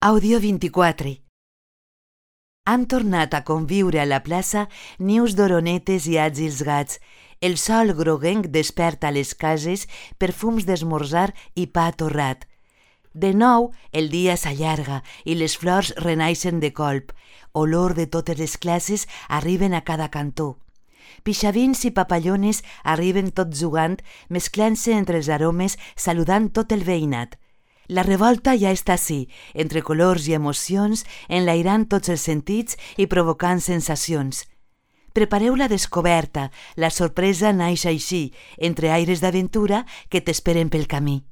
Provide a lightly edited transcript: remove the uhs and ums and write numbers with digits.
Audio 24. Han tornat a conviure a la plaça nius d'oronetes i àgils gats. El sol groguenc desperta a les cases perfums d'esmorzar i pa torrat. De nou, el dia s'allarga i les flors renaixen de colp. Olor de totes les classes arriben a cada cantó. Pixavins i papallones arriben tots jugant, mesclant-se entre els aromes, saludant tot el veïnat. La revolta ja està ací, entre colors i emocions, enlairant tots els sentits i provocant sensacions. Prepareu la descoberta, la sorpresa naix així, entre aires d'aventura que t'esperen pel camí.